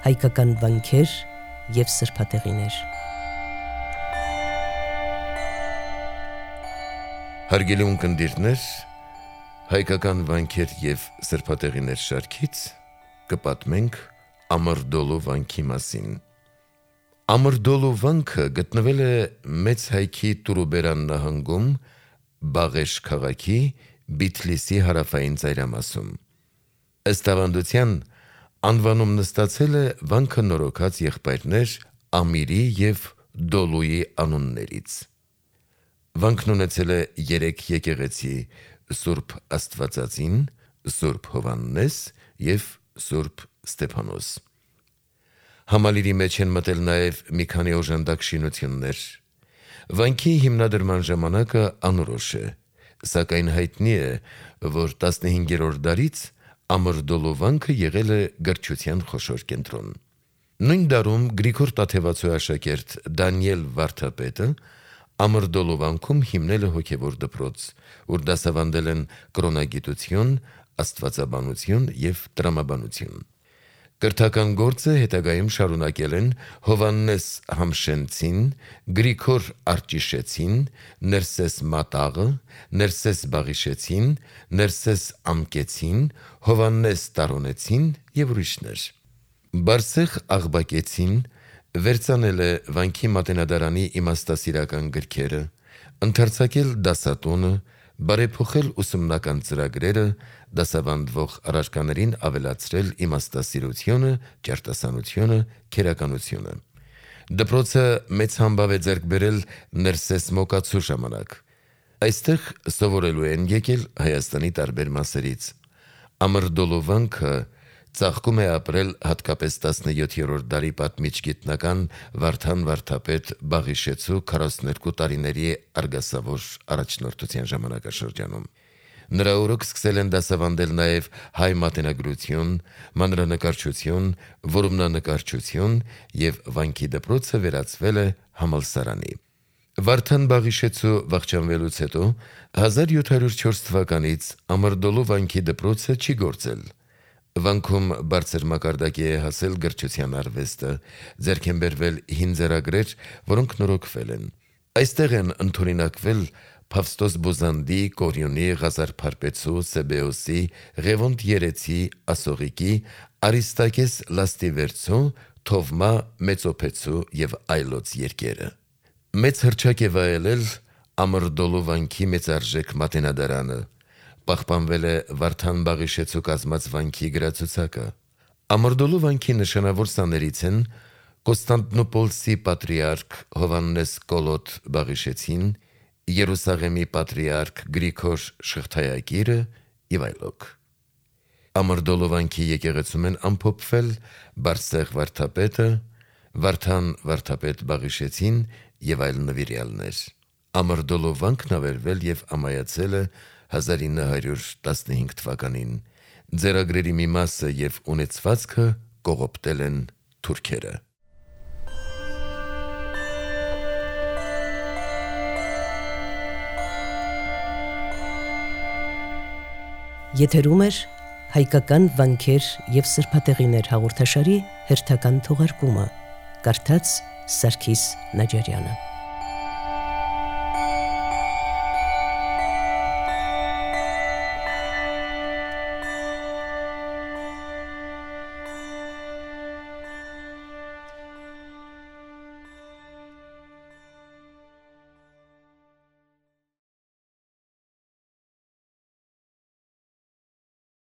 հայկական վանքեր և սրբատեղիներ։ Հարգելի ունկնդիրներ, հայկական վանքեր և սրբատեղիներ շարքից կպատմենք Ամրդոլու վանքի մասին։ Ամրդոլու վանքը գտնվել է Մեծ Հայքի Տուրուբերան նահանգում, Բաղեշ քաղաքի Բիթլիսի հարավային ծայրամասում։ Ըստ ավանդության, անվանումն ստացել է վանքը նորոգած եղբայրներ Ամիրի և Դոլուի անուններից։ Վանքն ունեցել է 3 եկեղեցի՝ Սուրբ Աստվածածին, Սուրբ Հովհաննես և Սուրբ Ստեփանոս։ Համալիրի մեջ են մտել նաև մի քանի օժանդակ շինություններ։ Վանքի հիմնադրման ժամանակը անորոշ է, սակայն հայտնի է, որ 15-րդ դարից Ամրդոլու վանքը եղել է գրչության խոշոր կենտրոն։ Նույն դարում Գրիգոր Տաթևացու աշակերտ Դանիել Վարդապետը Ամրդոլու վանքում հիմնել է հոգևոր դպրոց, ուր դասավանդել են կրոնագիտություն, աստվածաբանություն և տրամաբանություն։ Կրթական գործը հետագայում շարունակել են Հովհաննես Համշենցին, Գրիգոր Արճիշեցին, Ներսես Մատաղը, Ներսես Բաղիշեցին, Ներսես Ամկեցին, Հովհաննես Տարոնեցին և ուրիշներ։ Բարսեղ Աղբակեցին վերծանել է վանքի մատենադարանի իմաստասիրական գրքերը, ընդարձակել դասատունը, բարեփոխել ուսումնական ծրագրերը, դասավանդվող առարկաներին ավելացրել իմաստասիրությունը, ճարտասանությունը, քերականությունը։ Դպրոցը մեծ համբավ է ձեռք բերել Ներսես Մոկացու ժամանակ։ Այստեղ սովորելու են եկել Հայաստանի տարբեր մասերից։ Ամրդոլու վանքը ծաղկում է ապրել հատկապես 17-րդ դարի պատմիչ գիտնական Վարդան Վարդապետ Բաղիշեցու 42 տարիների արգասավոր առաջնորդության ժամանակաշրջանում։ Նրա օրոք սկսել են դասավանդել նաև հայ մատենագրություն, մանրանկարչություն, որմնանկարչություն և վանքի դպրոցը վերածվել է համալսարանի։ Վարդան Բաղիշեցու վախճանվելուց հետո 1704 թվականից Ամրդոլու վանքի դպրոցը չի գործել։ Վանքում բարձր մակարդակի է հասել գրչության արվեստը, ձեռք են բերվել հին ձեռագրեր, որոնք նորոգվել են։ Այստեղ են ընդօրինակվել Փավստոս Բոզանդի, Կորյունի, Ղազար Փարպեցու, Սեբեոսի, Ղևոնդ Երեցի, Ասողիկի, Արիստակես Լաստիվերցու, Թովմա Մեծոփեցու և այլոց երկերը։ Մեծ հռչակ է վայելել Ամրդոլու վանքի մեծարժեք մատենադարանը։ Պահպանվել է Վարդան Բաղիշեցու կազմած վանքի գրացուցակը։ Ամրդոլու վանքի նշանավոր սաներից են Կոստանդնուպոլսի պատրիարք Հովհաննես Կոլոտ Բաղիշեցին, Երուսաղեմի պատրիարք Գրիգոր Շղթայագիրը և այլոք։ Ամրդոլու վանքի եկեղեցում են ամփոփվել Բարսեղ Վարդապետը, Վարդան Վարդապետ Բաղիշեցին և այլ նվիրյալներ։ Ամրդոլու վանքն ավերվել և ամայացել է 1915 թվականին։ Ձեռագրերի մի մասը և ունեցվածքը կողոպտել են թուրքերը։ Եթերում է հայկական վանքեր և սրբատեղիներ հաղորդաշարի հերթական թողարկումը։ Կարդաց Սարգիս Նաջարյանը։